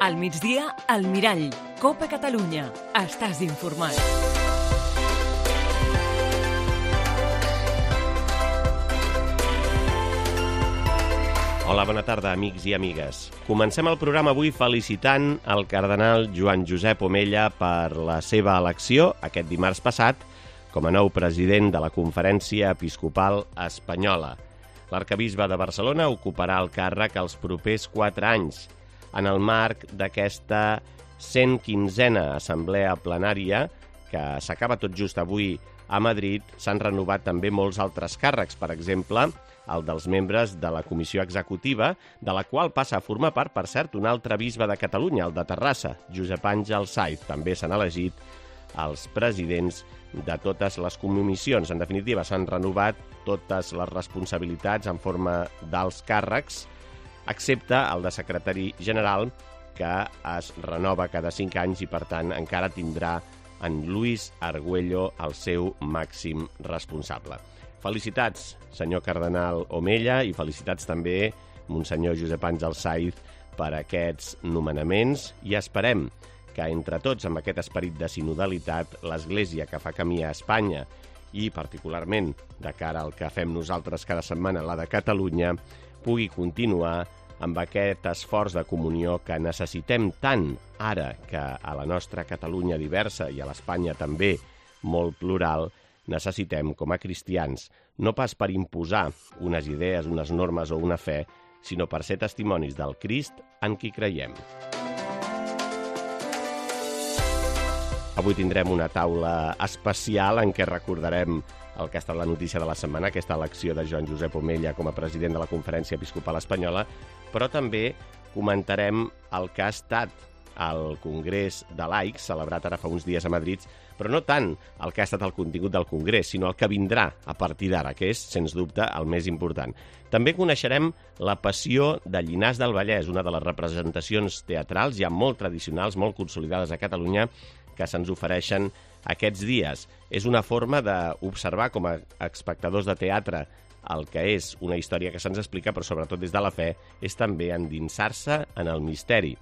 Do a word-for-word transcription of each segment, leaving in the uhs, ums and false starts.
Al migdia, al Mirall. Copa Catalunya. Estàs informat. Hola, bona tarda, amics i amigues. Comencem el programa avui felicitant el cardenal Joan Josep Omella per la seva elecció aquest dimarts passat com a nou president de la Conferència Episcopal Espanyola. L'arcabisbe de Barcelona ocuparà el càrrec els propers quatre anys en el marc d'aquesta cent quinzena assemblea plenària que s'acaba tot just avui a Madrid. S'han renovat també molts altres càrrecs, per exemple, el dels membres de la Comissió Executiva, de la qual passa a formar part, per cert, un altre bisbe de Catalunya, el de Terrassa, Josep Àngel Saiz. També s'han elegit els presidents de totes les comissions. En definitiva, s'han renovat totes les responsabilitats en forma d'alts càrrecs, excepte el de secretari general, que es renova cada cinc anys i, per tant, encara tindrà en Luis Argüello el seu màxim responsable. Felicitats, senyor cardenal Omella, i felicitats també, monsenyor Josep Àngel Saiz, per aquests nomenaments, i esperem que entre tots, amb aquest esperit de sinodalitat, l'Església que fa camí a Espanya i particularment de cara al que fem nosaltres cada setmana, la de Catalunya, pugui continuar amb aquest esforç de comunió que necessitem tant ara que a la nostra Catalunya diversa i a l'Espanya també molt plural necessitem com a cristians, no pas per imposar unes idees, unes normes o una fe, sinó per ser testimonis del Crist en qui creiem. Avui tindrem una taula especial en què recordarem el que ha estat la notícia de la setmana, aquesta elecció de Joan Josep Omella com a president de la Conferència Episcopal Espanyola, però també comentarem el que ha estat el Congrés de Laics, celebrat ara fa uns dies a Madrid, però no tant el que ha estat el contingut del Congrés, sinó el que vindrà a partir d'ara, que és, sens dubte, el més important. També coneixerem la Passió de Llinars del Vallès, una de les representacions teatrals ja molt tradicionals, molt consolidades a Catalunya, que se'ns ofereixen aquests dies. És una forma d'observar com a espectadors de teatre el que és una història que se'ns explica, però sobretot des de la fe, és també endinsar-se en el misteri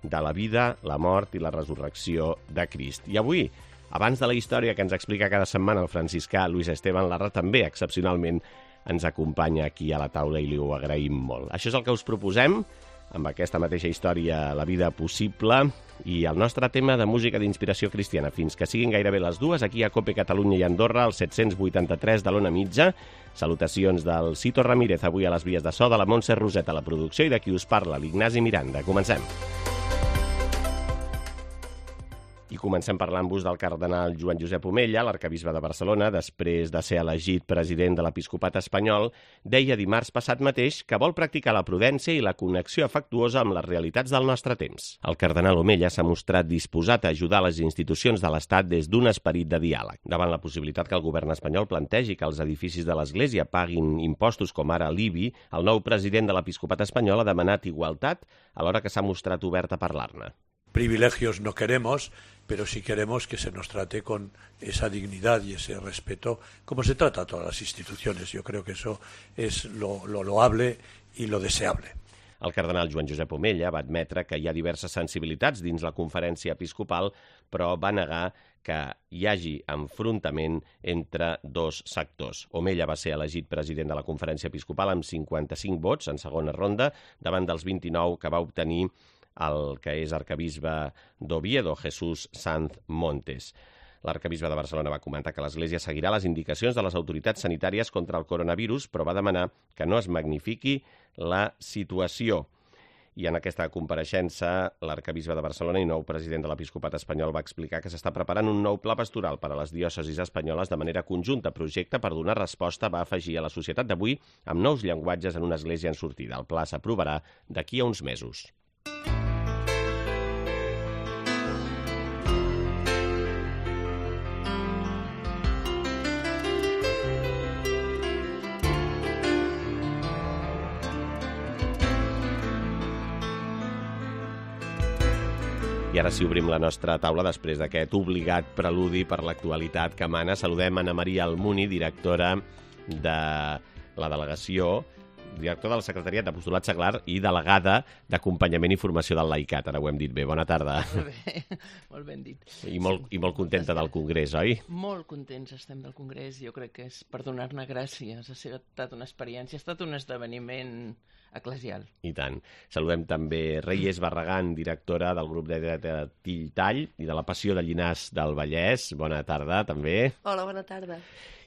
de la vida, la mort i la resurrecció de Crist. I avui, abans de la història que ens explica cada setmana el franciscà Luis Esteban Larra, també excepcionalment ens acompanya aquí a la taula i li ho agraïm molt. Això és el que us proposem amb aquesta mateixa història, La vida possible, i el nostre tema de música d'inspiració cristiana. Fins que siguin gairebé les dues, aquí a Cope Catalunya i Andorra, al set-cents vuitanta-tres de l'Ona Mitja. Salutacions del Cito Ramírez, avui a les vies de so, de la Montse Roset a la producció, i de qui us parla, l'Ignasi Miranda. Comencem. I comencem parlant-vos del cardenal Joan Josep Omella, l'arcabisbe de Barcelona, després de ser elegit president de l'Episcopat espanyol, deia dimarts passat mateix que vol practicar la prudència i la connexió afectuosa amb les realitats del nostre temps. El cardenal Omella s'ha mostrat disposat a ajudar les institucions de l'Estat des d'un esperit de diàleg. Davant la possibilitat que el govern espanyol plantegi que els edificis de l'Església paguin impostos com ara l'I B I, el nou president de l'Episcopat espanyol ha demanat igualtat alhora que s'ha mostrat obert a parlar-ne. Privilegios no queremos, pero sí queremos que se nos trate con esa dignidad y ese respeto, como se trata a todas las instituciones. Yo creo que eso es lo, lo loable y lo deseable. El cardenal Joan Josep Omella va admetre que hi ha diverses sensibilitats dins la conferència episcopal, però va negar que hi hagi enfrontament entre dos sectors. Omella va ser elegit president de la conferència episcopal amb cinquanta-cinc vots en segona ronda, davant dels vint-i-nou que va obtenir el que és arcabisbe d'Oviedo, Jesús Sanz Montes. L'arcabisbe de Barcelona va comentar que l'Església seguirà les indicacions de les autoritats sanitàries contra el coronavirus, però va demanar que no es magnifiqui la situació. I en aquesta compareixença, l'arcabisbe de Barcelona i nou president de l'Episcopat espanyol va explicar que s'està preparant un nou pla pastoral per a les diòcesis espanyoles de manera conjunta. Projecte per donar resposta, va afegir, a la societat d'avui amb nous llenguatges en una església en sortida. El pla s'aprovarà d'aquí a uns mesos. I ara sí obrim la nostra taula després d'aquest obligat preludi per l'actualitat que mana. Saludem Anna Maria Almuni, directora de la delegació director del Secretariat d'Apostolat Seglar i delegada d'Acompanyament i Formació del Laicat. Ara ho hem dit bé. Bona tarda. Molt bé, molt ben dit. I molt, i molt contenta del Congrés, oi? Molt contents estem del Congrés. Jo crec que és per donar-ne gràcies. Ha estat una experiència, ha estat un esdeveniment eclesial. I tant. Saludem també Reyes Barragán, directora del grup de teatre Tilltall i de la Passió de Llinars del Vallès. Bona tarda, també. Hola, bona tarda.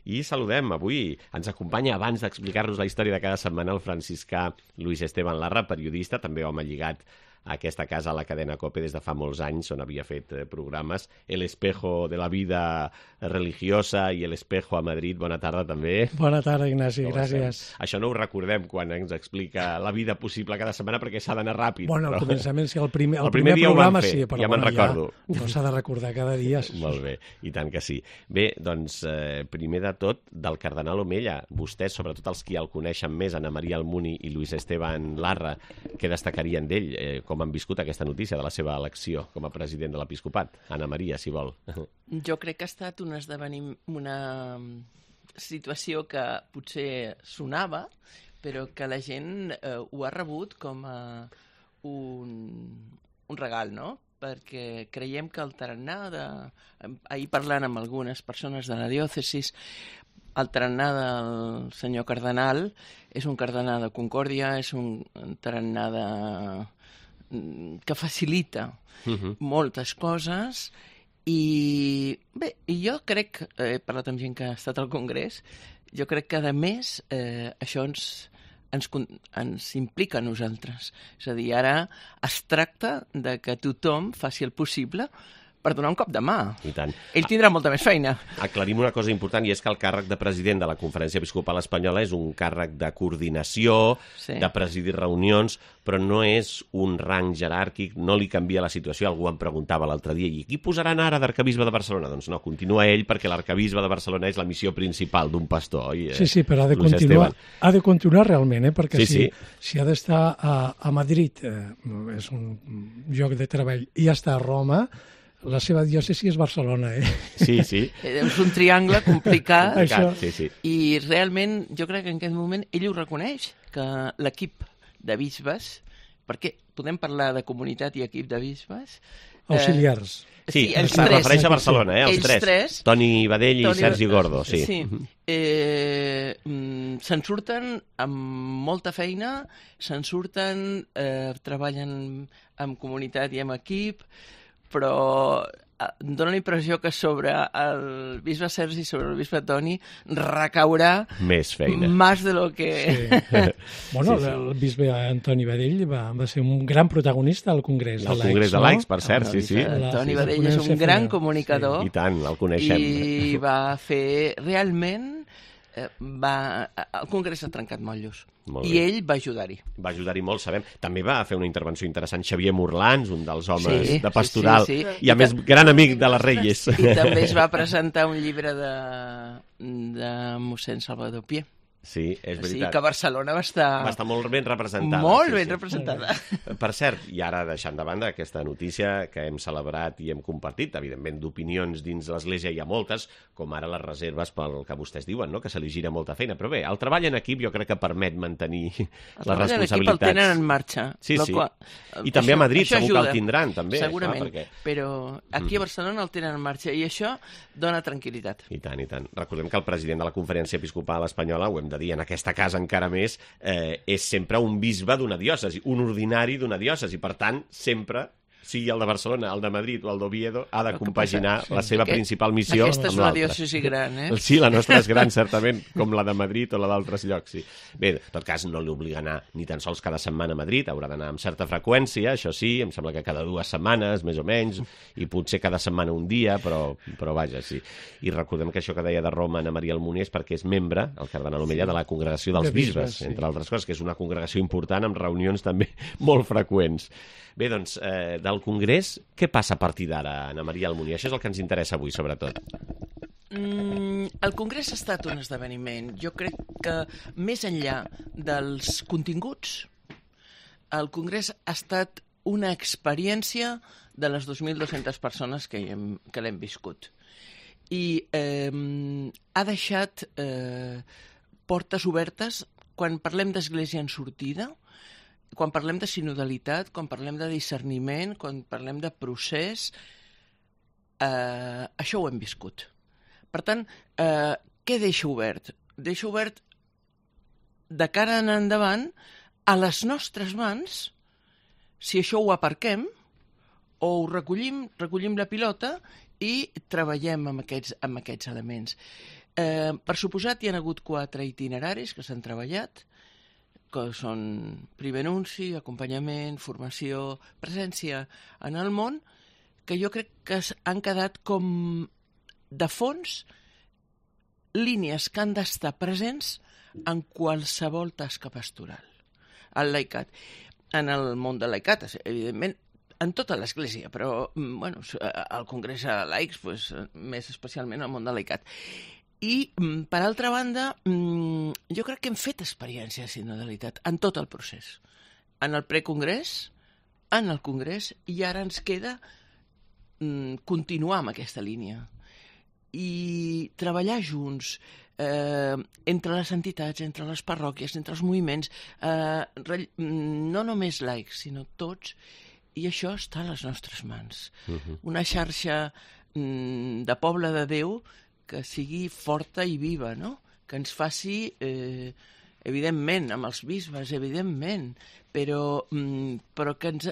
I saludem avui, ens acompanya abans d'explicar-nos la història de cada setmana el franciscà Luis Esteban Larra, periodista, també home lligat a aquesta casa, a la cadena COPE, des de fa molts anys, on havia fet eh, programes. El espejo de la vida religiosa i El espejo a Madrid. Bona tarda, també. Bona tarda, Ignasi, Com gràcies. estem? Això no ho recordem quan ens explica la vida possible cada setmana, perquè s'ha d'anar ràpid. Bueno, al però... començament, sí, el primer, el El primer primer dia ho vam programa fer, sí, però ja me'n bueno, recordo. Ja, no s'ha de recordar cada dia. Molt bé, i tant que sí. Bé, doncs, eh, primer de tot, del cardenal Omella, vostès, sobretot els qui el coneixen més, Ana Maria Almuni i Luis Esteban Larra, què destacarien d'ell? Eh, com han viscut aquesta notícia de la seva elecció com a president de l'Episcopat? Ana Maria, si vol. Jo crec que ha estat un esdevenim, una situació que potser sonava, però que la gent eh, ho ha rebut com a un, un regal, no? Perquè creiem que el tarannà de... Ahir parlant amb algunes persones de la diòcesis, el tarannà del senyor cardenal és un cardenal de concòrdia, és un tarannà de... que facilita uh-huh. moltes coses i bé, i jo crec, he parlat amb gent que ha estat al Congrés, jo crec que a més eh, això ens, ens, ens implica a nosaltres. És a dir, ara es tracta de que tothom faci el possible per donar un cop de mà. I tant. Ell tindrà molta més feina. Aclarim una cosa important, i és que el càrrec de president de la Conferència Episcopal Espanyola és un càrrec de coordinació, sí. de presidir reunions, però no és un rang jeràrquic, no li canvia la situació. Algú em preguntava l'altre dia, i qui posaran ara d'arcabisbe de Barcelona? Doncs no, continua ell, perquè l'arcabisbe de Barcelona és la missió principal d'un pastor, oi? Sí, sí, però ha de, continuar, ha de continuar realment, eh? Perquè sí, si, sí. si ha d'estar a, a Madrid, eh, és un lloc de treball, i està a Roma, la seva diòcesi és Barcelona, eh? Sí, sí. És un triangle complicat. Això. Sí, sí. I realment jo crec que en aquest moment ell ho reconeix, que l'equip de bisbes, perquè podem parlar de comunitat i equip de bisbes... Auxiliars. Eh, sí, sí, els es tres. refereix a Barcelona, eh? Els ells tres. tres. Toni Badell i Toni... Sergi Gordo, sí. Sí. Eh, se'n surten amb molta feina, se'n surten, eh, treballen amb comunitat i amb equip, però em dóna la impressió que sobre el bisbe Sergi i sobre el bisbe Toni recaurà més feina. més de lo que... Sí. Bueno, sí, sí. el bisbe Antoni Badell va, va ser un gran protagonista al Congrés de Al Laics. Congrés de Laics, per cert, No, sí, sí. Toni sí, Badell sí. és un gran comunicador. I tant, el coneixem. I va fer realment... Eh, va, el Congrés ha trencat motllos. Molt I bé. ell va ajudar-hi. Va ajudar-hi molt, sabem. També va fer una intervenció interessant Xavier Morlans, un dels homes Sí, de Pastoral, sí, sí, sí. i a més gran amic de les Reyes. I també es va presentar un llibre de, de mossèn Salvador Pié. Sí, és O sigui veritat. que Barcelona va estar... Va estar molt ben representada. Molt sí, ben sí. representada. Per cert, i ara deixant de banda aquesta notícia que hem celebrat i hem compartit, evidentment d'opinions dins l'Església hi ha moltes, com ara les reserves pel que vostès diuen, no? Que se li gira molta feina. Però bé, el treball en equip jo crec que permet mantenir les responsabilitats. L'equip el tenen en marxa. Sí, sí. Qual... I també a Madrid això segur ajuda. que el tindran, també. Segurament, Clar, perquè... però aquí a Barcelona el tenen en marxa i això dona tranquil·litat. I tant, i tant. Recordem que el president de la Conferència Episcopal Espanyola, ho hem de dir en aquesta casa encara més, eh, és sempre un bisbe d'una diòcesi, un ordinari d'una diòcesi. Per tant, sempre, sigui el de Barcelona, el de Madrid o el d'Oviedo, ha de compaginar sí. la seva Aquest, principal missió amb l'altra. Aquesta és una diòcesi gran, eh? Sí, la nostra és gran, certament, com la de Madrid o la d'altres llocs, sí. Bé, en tot cas, no li obliga a anar ni tan sols cada setmana a Madrid, haurà d'anar amb certa freqüència, això sí, em sembla que cada dues setmanes, més o menys, i potser cada setmana un dia, però, però vaja, sí. I recordem que això que deia de Roma Ana Maria Almuni és perquè és membre, el cardenal Omella, de la Congregació dels De bisbes, Bisbes, sí. entre altres coses, que és una congregació important amb reunions també molt freqüents. Bé, doncs, eh, del Congrés, què passa a partir d'ara, Ana Maria Almuni? Això és el que ens interessa avui, sobretot. Mm, el Congrés ha estat un esdeveniment. Jo crec que més enllà dels continguts, el Congrés ha estat una experiència de les dos mil dues-centes persones que, hi hem, que l'hem viscut. I eh, ha deixat eh, portes obertes quan parlem d'església en sortida, quan parlem de sinodalitat, quan parlem de discerniment, quan parlem de procés, eh, això ho hem viscut. Per tant, eh, què deixa obert? Deixa obert de cara en endavant a les nostres mans, si això ho aparquem, o ho recollim, recollim la pilota i treballem amb aquests, amb aquests elements. Eh, per suposat, hi ha hagut quatre itineraris que s'han treballat, que són primer anunci, acompanyament, formació, presència en el món, que jo crec que han quedat com de fons línies que han d'estar presents en qualsevol tasca pastoral. El laicat. En el món del laicat, evidentment, en tota l'Església, però bueno, al Congrés de Laics, pues, més especialment al món del laicat. I, per altra banda, jo crec que hem fet experiència de sinodalitat en tot el procés. En el precongrés, en el congrés, i ara ens queda continuar amb aquesta línia. I treballar junts, eh, entre les entitats, entre les parròquies, entre els moviments, eh, no només laics, sinó tots, i això està a les nostres mans. Uh-huh. Una xarxa mm, de poble de Déu que sigui forta i viva, no? Que ens faci, eh, evidentment, amb els bisbes, evidentment, però, mm, però que ens...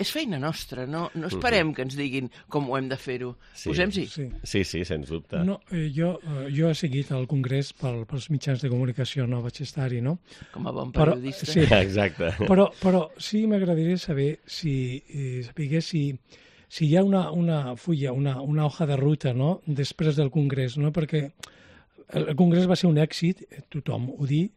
És feina nostra, no, no esperem uh-huh. que ens diguin com ho hem de fer-ho. Sí. Posem-s'hi. Sí. sí, sí, sens dubte. No, eh, jo, eh, jo he seguit el Congrés pel, pels mitjans de comunicació, no vaig estar-hi, no? Com a bon periodista. Però, sí, exacte. Però, però sí m'agradaria saber si, eh, saber si, si hi ha una, una fulla, una, una hoja de ruta, no?, després del Congrés, no? Perquè el Congrés va ser un èxit, tothom ho diu,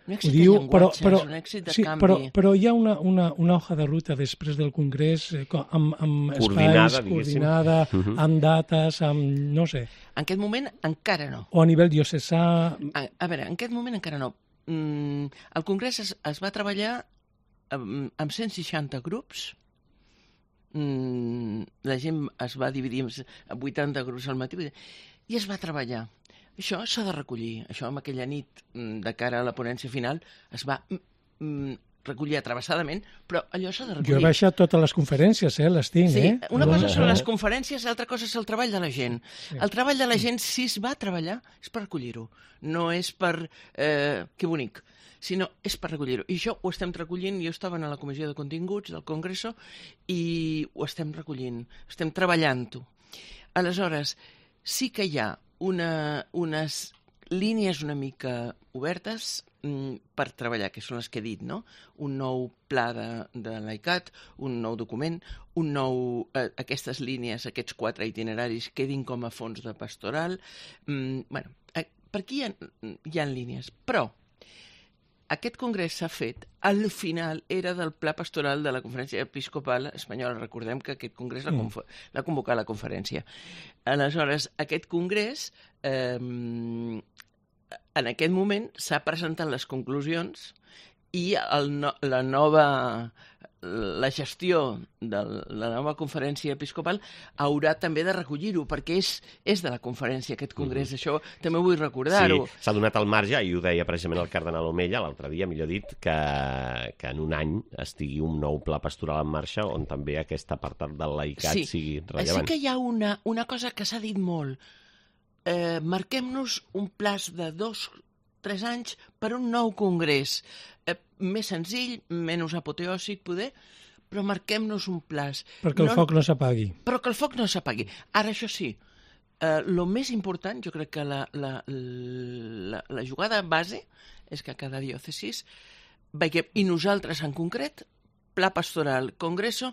un èxit ho diu, de però, però, un èxit de sí, canvi. Però, però hi ha una, una, una hoja de ruta després del Congrés eh, amb, amb coordinada, espais, coordinada, uh-huh. amb dates, amb... no sé. En aquest moment encara no. O a nivell diocesà... A, a veure, en aquest moment encara no. Mm, el Congrés es, es va treballar amb, amb cent seixanta grups. Mm, la gent es va dividir en vuitanta grups al matí i es va treballar. Això s'ha de recollir. Això, amb aquella nit, de cara a la ponència final, es va mm, recollir atravessadament, però allò s'ha de recollir. Jo he baixat totes les conferències, eh? Les tinc, sí, eh? Una cosa són les conferències, l'altra cosa és el treball de la gent. Sí. El treball de la gent, si es va treballar, és per recollir-ho. No és per... Eh, que bonic. Sinó és per recollir-ho. I això ho estem recollint. Jo estava a la Comissió de Continguts del Congreso i ho estem recollint. Estem treballant-ho. Aleshores, sí que hi ha Una, unes línies una mica obertes mm, per treballar, que són les que he dit, no? Un nou pla de, de laicat, un nou document, un nou, eh, aquestes línies, aquests quatre itineraris quedin com a fons de pastoral. Mm, bueno, eh, per aquí hi ha, hi ha línies, però aquest congrés s'ha fet, al final era del pla pastoral de la Conferència Episcopal Espanyola. Recordem que aquest congrés l'ha conf- l'ha convocat la conferència. Aleshores, aquest congrés, eh, en aquest moment, s'ha presentat les conclusions i el no, la nova... la gestió de la nova conferència episcopal haurà també de recollir-ho, perquè és, és de la conferència aquest congrés, mm-hmm. Això també vull recordar-ho. Sí, s'ha donat el marge, i ho deia precisament el cardenal Omella l'altre dia, millor dit, que, que en un any estigui un nou pla pastoral en marxa on també aquest apartat del laicat sí. sigui rellevant. Sí que hi ha una, una cosa que s'ha dit molt. Eh, marquem-nos un plaç de dos, tres anys per un nou congrés. Eh, més senzill, menys apoteòsic, poder, però marquem-nos un plaç. Perquè el no, foc no s'apagui. Però que el foc no s'apagui. Ara, això sí, eh, el més important, jo crec que la, la, la, la jugada base és que cada diòcesis veiem, i nosaltres en concret, pla pastoral, congreso,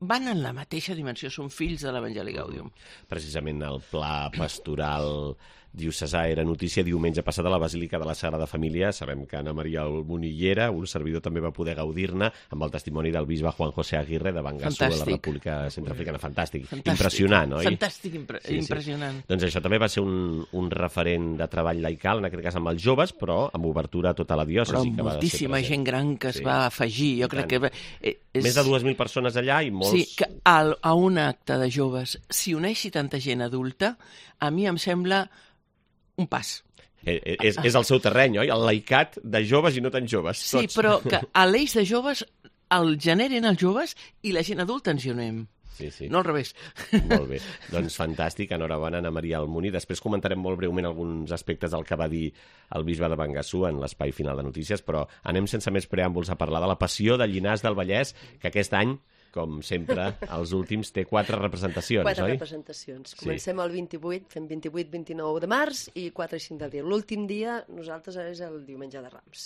van en la mateixa dimensió, són fills de l'Evangeli Gaudium. Precisament el pla pastoral diocesà era notícia diumenge passat a la Basílica de la Sagrada Família. Sabem que Anna Maria Munillera, un servidor, també va poder gaudir-ne amb el testimoni del bisbe Juan José Aguirre de Bangassou, de la República Centroafricana. Fantàstic. Fantàstic. Impressionant, oi? Fantàstic, impre sí, sí. impressionant. Doncs això també va ser un, un referent de treball laical, en aquest cas amb els joves, però amb obertura a tota la diòcesi. Però que moltíssima va gent gran que es sí. va afegir. Jo crec que... És... Més de dues mil persones allà i molts... Sí, que a, a un acte de joves s'hi uneixi tanta gent adulta, a mi em sembla un pas. És, és el seu terreny, oi? El laicat de joves i no tan joves. Sí, tots. però que a l'eix de joves el generen els joves i la gent adulta ens hi unem. Sí, sí. No al revés. Molt bé. Doncs fantàstic. Enhorabona, Ana Maria Almuni. Després comentarem molt breument alguns aspectes del que va dir el bisbe de Bangassou en l'espai final de notícies, però anem sense més preàmbuls a parlar de la passió de Llinars del Vallès, que aquest any, com sempre, els últims, té quatre representacions, quatre oi? representacions. Comencem el vint-i-vuit, fem vint-i-vuit vint-i-nou de març i quatre i cinc d'abril. L'últim dia, nosaltres, és el diumenge de Rams.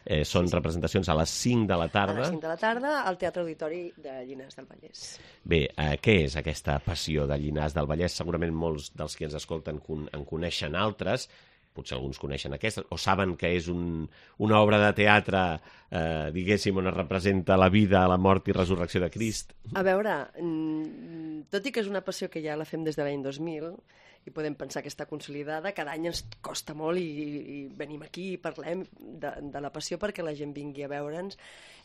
Eh, són sí, sí. representacions a les cinc de la tarda. A les cinc de la tarda, al Teatre Auditori de Llinars del Vallès. Bé, eh, què és aquesta passió de Llinars del Vallès? Segurament molts dels que ens escolten en coneixen altres, potser alguns coneixen aquesta, o saben que és un, una obra de teatre, eh, diguéssim, on es representa la vida, la mort i resurrecció de Crist. A veure, tot i que és una passió que ja la fem des de l'any dos mil, i podem pensar que està consolidada, cada any ens costa molt i, i venim aquí i parlem de, de la passió perquè la gent vingui a veure'ns.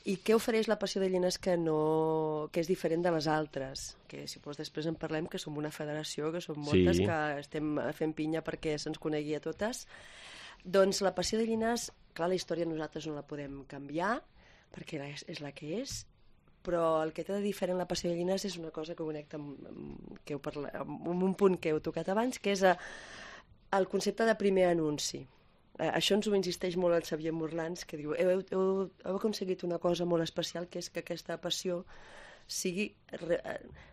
I què ofereix la passió de Llinars que, no, que és diferent de les altres? Que si vols després en parlem, que som una federació, que som moltes, sí. que estem fent pinya perquè se'ns conegui a totes. Doncs la passió de Llinars, clar, la història nosaltres no la podem canviar, perquè és, és la que és, però el que té de diferent la passió de Llinars és una cosa que connecta amb, amb, que heu parlat, amb un punt que heu tocat abans, que és a, el concepte de primer anunci. Eh, això ens ho insisteix molt el Xavier Morlans, que diu, heu, heu, heu aconseguit una cosa molt especial, que és que aquesta passió sigui, re,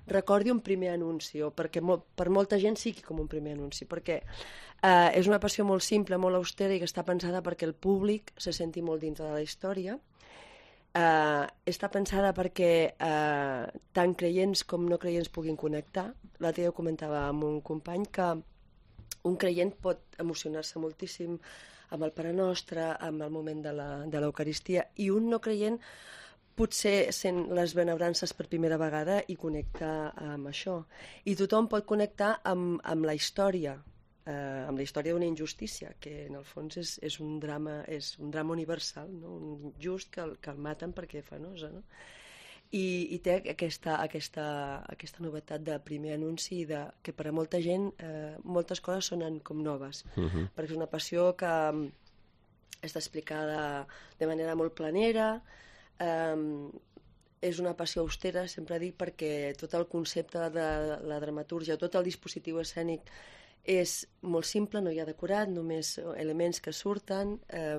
recordi un primer anunci, o perquè mo, per molta gent sigui com un primer anunci, perquè eh, és una passió molt simple, molt austera i que està pensada perquè el públic se senti molt dintre de la història. Uh, està pensada perquè uh, tant creients com no creients puguin connectar. L'altre dia ho comentava amb un company que un creient pot emocionar-se moltíssim amb el Pare Nostre, amb el moment de l'Eucaristia, i un no creient potser sent les benebrances per primera vegada i connecta amb això. I tothom pot connectar amb, amb la història, eh, amb la història d'una injustícia, que en el fons és, és, un, drama, és un drama universal, no? Un just que el, que el maten perquè fa nosa, no? I, i té aquesta, aquesta, aquesta novetat de primer anunci de, que per a molta gent eh, moltes coses sonen com noves, uh-huh. perquè és una passió que està explicada de manera molt planera, eh, és una passió austera, sempre dic, perquè tot el concepte de la dramatúrgia, tot el dispositiu escènic és molt simple, no hi ha decorat, només elements que surten. Eh,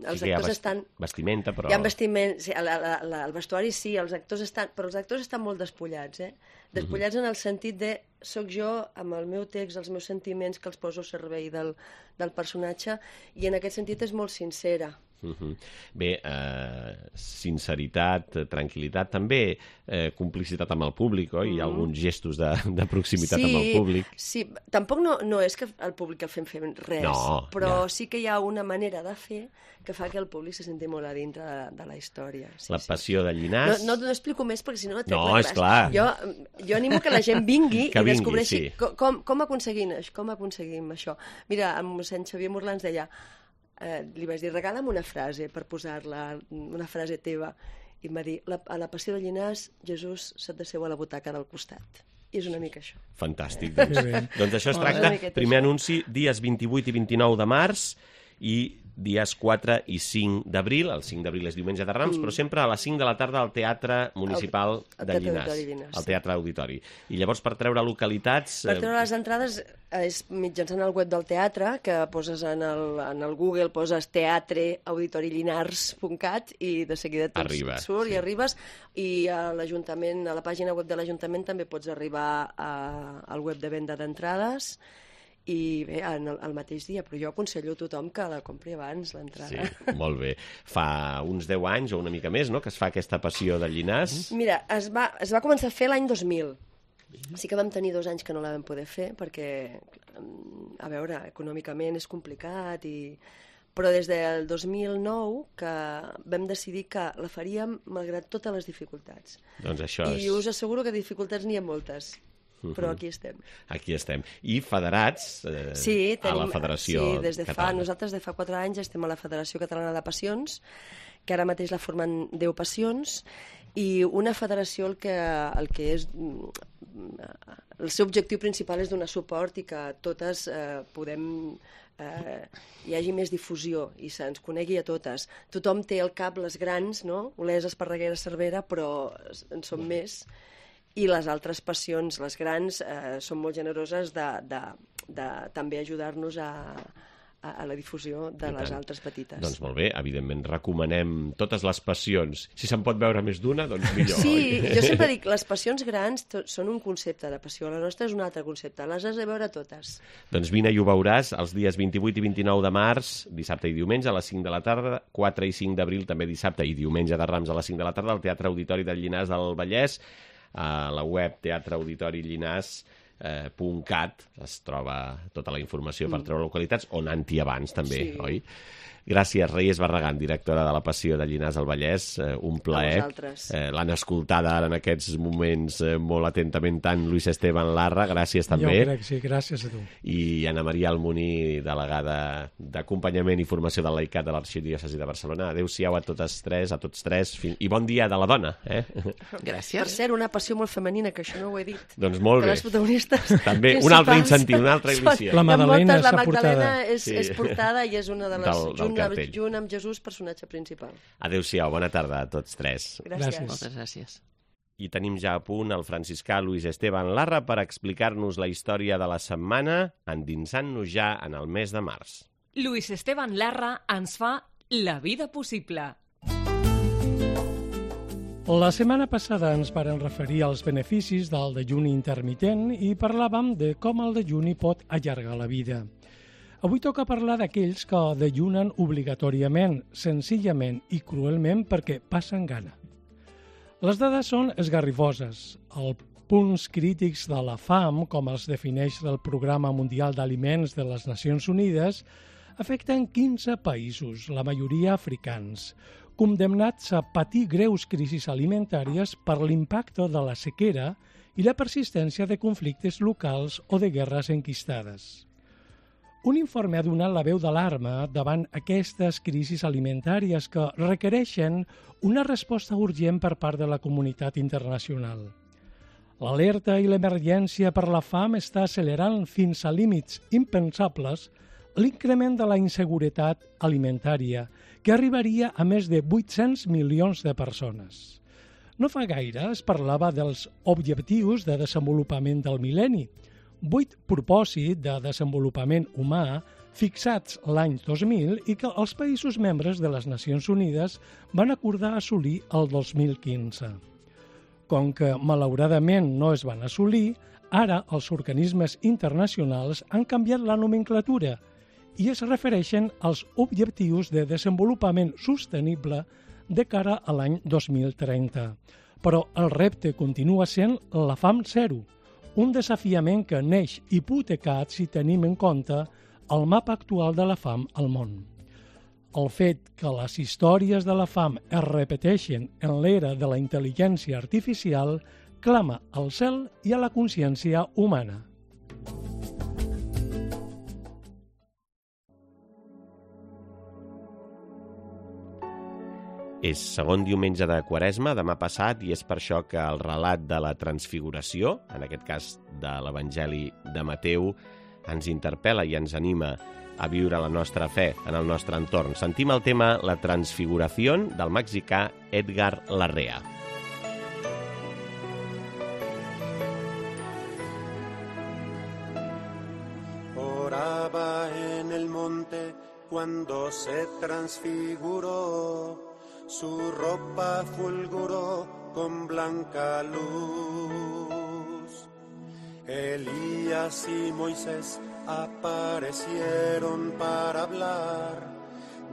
els sí actors vest... estan... vestimenta, però... Hi ha vestiment, sí, la, la, la, el vestuari sí, els actors estan... però els actors estan molt despullats, eh? Despullats uh-huh. en el sentit de soc jo amb el meu text, els meus sentiments que els poso al servei del, del personatge, i en aquest sentit és molt sincera. Uh-huh. Bé, eh, sinceritat, tranquil·litat, també eh, complicitat amb el públic, oi? Hi ha alguns gestos de, de proximitat sí, amb el públic. Sí, tampoc no, no és que el públic el fem fer res, no, però ja. sí que hi ha una manera de fer que fa que el públic se senti molt a dintre de, de la història. Sí, la sí. passió de Llinars... No, no, no explico més perquè si no no té no, res. És clar. Jo, jo animo que la gent vingui que i vingui, descobreixi sí. com, com, com, aconseguim, com aconseguim això. Mira, el mossèn Xavier Morlans deia... Eh, li vaig dir, regala'm una frase per posar-la, una frase teva, i em va dir, la, a la passió de Llinars Jesús se't deseu a la butaca del costat. I és una mica això. Fantàstic, doncs, doncs això es tracta, primer anunci dies vint-i-vuit i vint-i-nou de març i dies quatre i cinc d'abril, el cinc d'abril és diumenge de Rams, mm. però sempre a les cinc de la tarda al Teatre Municipal el, el de Llinars, Llinars, al Teatre Auditori. I llavors per treure localitats... Per treure les entrades és mitjançant el web del teatre, que poses en el, en el Google, poses teatre auditori llinars punt cat i de seguida et Arriba, surt sí. i arribes, i a l'Ajuntament, a la pàgina web de l'Ajuntament també pots arribar a, al web de venda d'entrades, i bé, en el, el mateix dia, però jo aconsello a tothom que la compri abans, l'entrada. Sí, molt bé. Fa uns deu anys o una mica més, no?, que es fa aquesta passió de Llinars. Mira, es va, es va començar a fer l'any dos mil. Sí que vam tenir dos anys que no la vam poder fer, perquè, a veure, econòmicament és complicat, i... però des del dos mil nou que vam decidir que la faríem malgrat totes les dificultats. Doncs això és... I us asseguro que dificultats n'hi ha moltes. Però aquí estem. Aquí estem. I federats eh, sí, tenim, a la Federació sí, des de Catalana. Fa, nosaltres de fa quatre anys estem a la Federació Catalana de Passions, que ara mateix la formen deu passions, i una federació el que, el que és... El seu objectiu principal és donar suport i que totes eh, podem eh, hi hagi més difusió i se'ns conegui a totes. Tothom té al cap les grans, no? Olesa, Esparreguera, Cervera, però en són més. I les altres passions, les grans, eh, són molt generoses de, de, de també ajudar-nos a, a, a la difusió de les altres petites. Doncs molt bé, evidentment recomanem totes les passions. Si se'n pot veure més d'una, doncs millor. Sí, oi? jo sempre dic, les passions grans són un concepte de passió, la nostra és un altre concepte, les has de veure totes. Doncs vine i ho veuràs els dies vint-i-vuit i vint-i-nou de març, dissabte i diumenge a les cinc de la tarda, quatre i cinc d'abril també dissabte i diumenge de Rams a les cinc de la tarda al Teatre Auditori del Llinars del Vallès, a la web teatre auditori llinars punt cat es troba tota la informació per treure localitats, on anti abans també, sí. Oi? Gràcies, Reyes Barragán, directora de la Passió de Llinars del Vallès. Eh, un plaer. Eh, L'han escoltada ara en aquests moments eh, molt atentament tant Luis Esteban Larra. Gràcies també. Jo crec, sí, gràcies a tu. I Anna Maria Almoní, delegada d'acompanyament i formació del Laicat de l'Arxidiòcesi de Barcelona. Adéu-siau a totes tres, a tots tres, i bon dia de la dona. Eh? Gràcies. Per cert, una passió molt femenina, que això no ho he dit. Doncs molt que bé. Les protagonistes també, un altre incentiu, una altra il·lusió. La Madalena està portada. La Magdalena és, sí. és portada i és una de les... Del, del junt, junt amb Jesús, personatge principal. Adéu-siau, bona tarda a tots tres. Gràcies. Gràcies. Moltes gràcies. I tenim ja a punt el franciscà Luis Esteban Larra per explicar-nos la història de la setmana, endinsant-nos ja en el mes de març. Luis Esteban Larra ens fa la vida possible. La setmana passada ens varen referir als beneficis del dejuni intermitent i parlàvem de com el dejuni pot allargar la vida. Avui toca parlar d'aquells que dejunen obligatòriament, senzillament i cruelment perquè passen gana. Les dades són esgarrifoses. Els punts crítics de la fam, com els defineix el Programa Mundial d'Aliments de les Nacions Unides, afecten quinze països, la majoria africans, condemnats a patir greus crisis alimentàries per l'impacte de la sequera i la persistència de conflictes locals o de guerres enquistades. Un informe ha donat la veu d'alarma davant aquestes crisis alimentàries que requereixen una resposta urgent per part de la comunitat internacional. L'alerta i l'emergència per la fam està accelerant fins a límits impensables l'increment de la inseguretat alimentària, que arribaria a més de vuit-cents milions de persones. No fa gaire es parlava dels objectius de desenvolupament del mil·lenni, vuit propòsits de desenvolupament humà fixats l'any dos mil i que els països membres de les Nacions Unides van acordar assolir el dos mil quinze. Com que malauradament no es van assolir, ara els organismes internacionals han canviat la nomenclatura i es refereixen als objectius de desenvolupament sostenible de cara a l'any dos mil trenta. Però el repte continua sent la fam zero, un desafiament que neix hipotecat si tenim en compte el mapa actual de la fam al món. El fet que les històries de la fam es repeteixen en l'era de la intel·ligència artificial clama al cel i a la consciència humana. És segon diumenge de Quaresma, demà passat, i és per això que el relat de la transfiguració, en aquest cas de l'Evangeli de Mateu, ens interpel·la i ens anima a viure la nostra fe en el nostre entorn. Sentim el tema La transfiguració del mexicà Edgar Larrea. Oraba en el monte cuando se transfiguró. Su ropa fulguró con blanca luz. Elías y Moisés aparecieron para hablar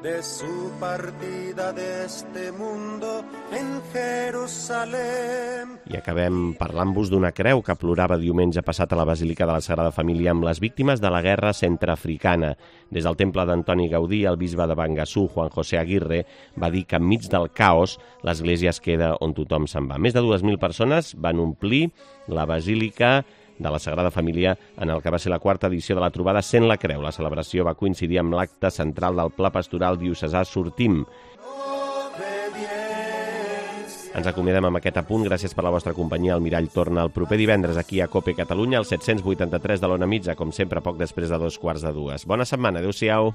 de su partida de este mundo en Jerusalén. I acabem parlant-vos d'una creu que plorava diumenge passat a la Basílica de la Sagrada Família amb les víctimes de la guerra centreafricana. Des del temple d'Antoni Gaudí, el bisbe de Bangassou, Juan José Aguirre, va dir que enmig del caos l'església es queda on tothom se'n va. Més de dues mil persones van omplir la Basílica de la Sagrada Família en el que va ser la quarta edició de la trobada Sent la Creu. La celebració va coincidir amb l'acte central del Pla Pastoral Diocesà Sortim. Ens acomiadem amb aquest apunt. Gràcies per la vostra companyia. El Mirall torna el proper divendres aquí a COPE Catalunya, al set-cents vuitanta-tres de l'Ona Mitja, com sempre, poc després de dos quarts de dues. Bona setmana. Adéu-siau.